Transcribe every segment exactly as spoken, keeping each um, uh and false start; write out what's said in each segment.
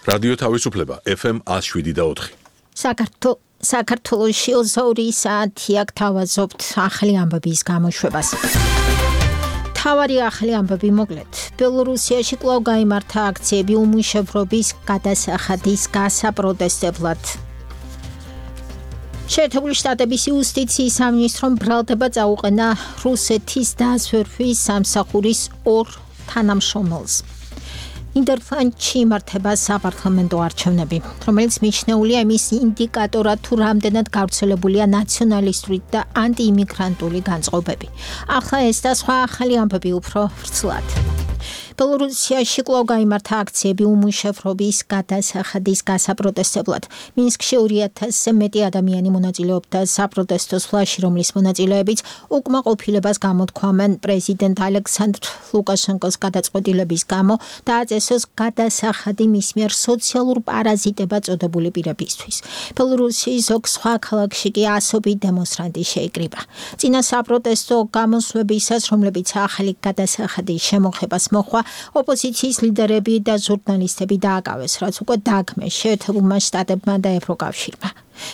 რადიო თავისუფლება ეფ ემ one oh seven და four. საქართველოს საქართველოში ორი საათი აქ თავაზობთ ახალი ამბების გამოშვებას. თავარი ახალი ამბები მოკლედ. ბელორუსიაში კვლავ გაიმართა აქციები უმუშევრობის გადასახადის გასაპროტესტებლად. შეერთებული შტატების იუსტიციის სამინისტრომ ბრალდება წაუყენა რუსეთის დაზვერვის სამსახურის ორ თანამშრომელს. ნიდერლანდში იმართება საპარლამენტო არჩევნები, რომელიც მიჩნეულია იმის ინდიკატორად, თუ რამდენად გავრცელებულია ნაციონალისტური და ანტიიმიგრანტული განწყობები. ახლა ეს და სხვა ახალი ამბები უფრო ვრცლად. ბელორუსიაში კვლავ გაიმართა აქციები უმუშევრობის გადასახადის გასაპროტესტებლად. მინსკში ორი ათასზე მეტი ადამიანი მონაწილეობდა საპროტესტო სვლაში, რომლის მონაწილეებიც უკმაყოფილებას გამოთქვამენ პრეზიდენტ ალექსანდრ ლუკაშენკოს გადაწყვეტილების გამო და აწესოს გადასახადი მის მიერ სოციალურ პარაზიტებად წოდებული პირებისთვის. ბელორუსიის ზოგ სხვა ქალაქში კი ასობით დემონსტრანტი შეიკრიბა. წინა საპროტესტო გამოსვლებისას, რომლებიც ახალი გადასახადის შემოღებას მოჰყვა, ოპოზიციის ლიდერები და ჟურნალისტები დააკავეს, რაც უკვე დაგმეს შეერთებულმა შტატებმა და ევროკავშირმა.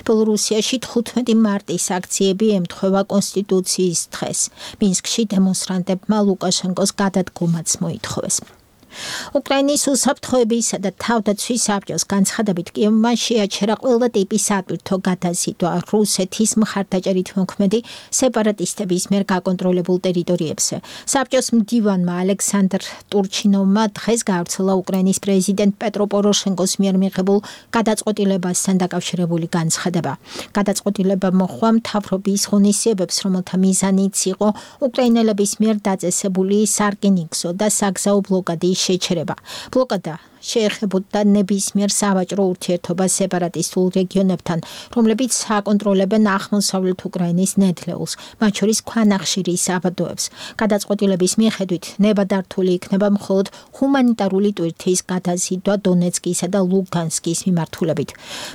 ბელორუსიაში თხუთმეტი მარტის აქციები ემთხვევა კონსტიტუციის დღეს. მინსკში დემონსტრანტებმა ლუკაშენკოს გადადგომაც მოითხოვეს. უკრაინის უსაფრთხოებისა და თავდაცვის საბჭოს განცხადებით კიევმა შეაჩერა ყველა ტიპის სატვირთო გადაზიდვა რუსეთის მხარდაჭერით მოქმედი სეპარატისტების მიერ გაკონტროლებულ ტერიტორიებზე. საბჭოს მდივანმა ალექსანდრ ტურჩინოვმა დღეს გაავრცელა უკრაინის პრეზიდენტ პეტრო პოროშენკოს მიერ მიღებულ გადაწყვეტილებასთან დაკავშირებული განცხადება. გადაწყვეტილება მოჰყვა მთავრობის ღონისძიებებს, რომელთა მიზანიც იყო უკრაინელების მიერ დაწესებული სარკინიგზო და საგზაო ბლოკადის შეჩერება. ბლოკადა შეეხებოდა ნებისმიერ სავაჭრო ურთიერთობას სეპარატისტულ რეგიონებთან, რომლებიც აკონტროლებენ აღმოსავლეთ უკრაინის ნედლეულს, მათ შორის ქვანახშირის საბადოებს. გადაწყვეტილების მიხედვით ნებადართული იქნება მხოლოდ ჰუმანიტარული ტვირთის გადაზიდვა დონეცკისა და ლუგანსკის მიმართულებით.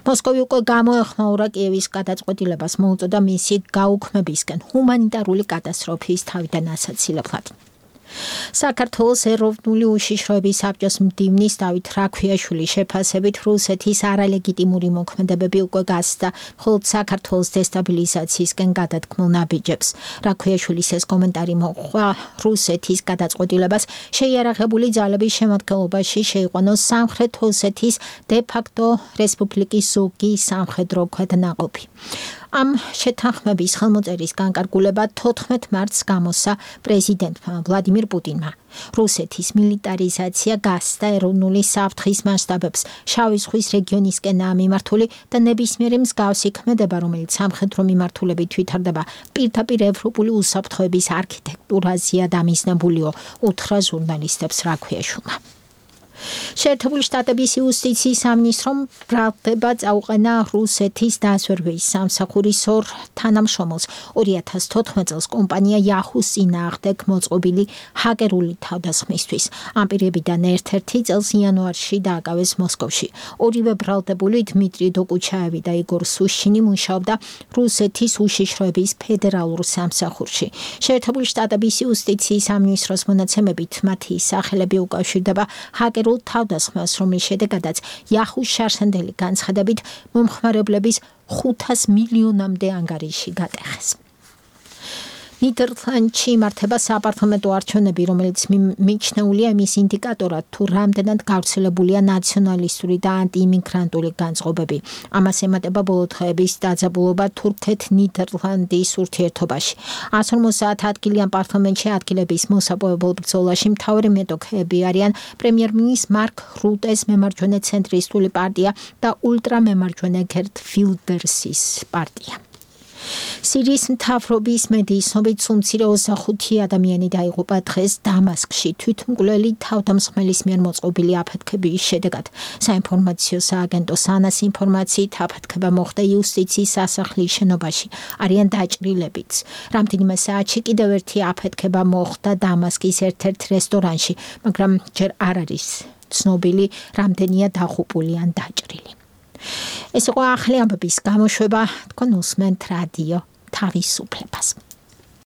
მოსკოვი უკვე გამოეხმაურა კიევის გადაწყვეტილებას, მოუწოდა მისი გაუქმებისკენ ჰუმანიტარული კატასტროფის თავიდან ასაცილებლად. საქართველოს ეროვნული უშიშროების საბჭოს მდივნის დავით რაქვიაშვილის შეფასებით რუსეთის არალეგიტიმური მოქმედებები უკვე გასცდა მხოლოდ საქართველოს დესტაბილიზაციისკენ გადადგმულ ნაბიჯებს. რაქვიაშვილის ეს კომენტარი მოჰყვა რუსეთის გადაწყვეტილებას შეიარაღებული ძალების შემადგენლობაში შეიყვანოს სამხრეთ ოსეთის დე-ფაქტო რესპუბლიკის ზოგი სამხედრო ქვედანაყოფი. ამ შეთანხმების ხელმოწერის განკარგულება თოთხმეტ მარტს გამოსცა პრეზიდენტმა ვლადიმირ პუტინმა. რუსეთის მილიტარიზაცია გასცდა ეროვნული საფრთხის მასშტაბებს, შავი ზღვის რეგიონისკენაა მიმართული და ნებისმიერი მსგავსი ქმედება, რომელიც სამხედრო მიმართულებით ვითარდება, პირდაპირ ევროპული უსაფრთხოების არქიტექტურაზეა დამიზნებულიო, უთხრა ჟურნალისტებს რაქვიაშვილმა. შეერთებული შტატების იუსტიციის სამინისტრომ ბრალდება წაუყენა რუსეთის დაზვერვის სამსახურის ორ თანამშრომელს. ორი ათას თოთხმეტ წელს კომპანია Yahoo-ს წინააღმდეგ მოწყობილი ჰაკერული თავდასხმისთვის. ამ პირებიდან ერთ-ერთი წელს იანვარში დააკავეს მოსკოვში. ორივე ბრალდებული დმიტრი დოკუჩაევი და იგორ სუშინი მუშაობდა რუსეთის უშიშროების ფედერალურ სამსახურში. შეერთებული შტატების იუსტიციის სამინისტროს მონაცემებით მათი სახელები უკავშირდება ჰაკერულ თავდასხმას, რომლის შედეგადაც Yahoo-ს შარსანდელი განცხადებით მომხმარებლების ხუთას მილიონამდე ანგარიში გატეხეს. ნიდერლანდში იმართება საპარლამენტო არჩევნები, რომელიც მიჩნეულია იმის ინდიკატორად, თუ რამდენად გავრცელებულია ნაციონალისტური და ანტიიმიგრანტული განწყობები. ამას ემატება ბოლო დღეების დაძაბულობა თურქეთ-ნიდერლანდის ურთიერთობაში. one hundred fifty ადგილი ამ პარლამენტში ადგილების მოსაპოვებელ ბრძოლაში მთავარი მეტოქეები არიან პრემიერ-მინისტრ მარკ რუტეს მემარჯვენე ცენტრისტული პარტია და ულტრამემარჯვენე გერტ ვილდერსის პარტია. სირიის მთავრობის მედიის ცნობით სულ მცირე ოცდახუთი ადამიანი დაიღუპა დღეს დამასკში თვითმკვლელი თავდამსხმელის მიერ მოწყობილი აფეთქების შედეგად. საინფორმაციო სააგენტოს ანას ინფორმაციით აფეთქება მოხდა იუსტიციის სასახლის შენობაში. არიან დაჭრილებიც. რამდენიმე საათში კიდევ ერთი აფეთქება მოხდა დამასკის ერთ-ერთ რესტორანში, მაგრამ ჯერ არ არის ცნობილი რამდენია დაღუპული ან დაჭრილი. ეს იყო ახალი ამბების გამოშვება, თქვენ უსმენთ რადიო თავისუფლებას.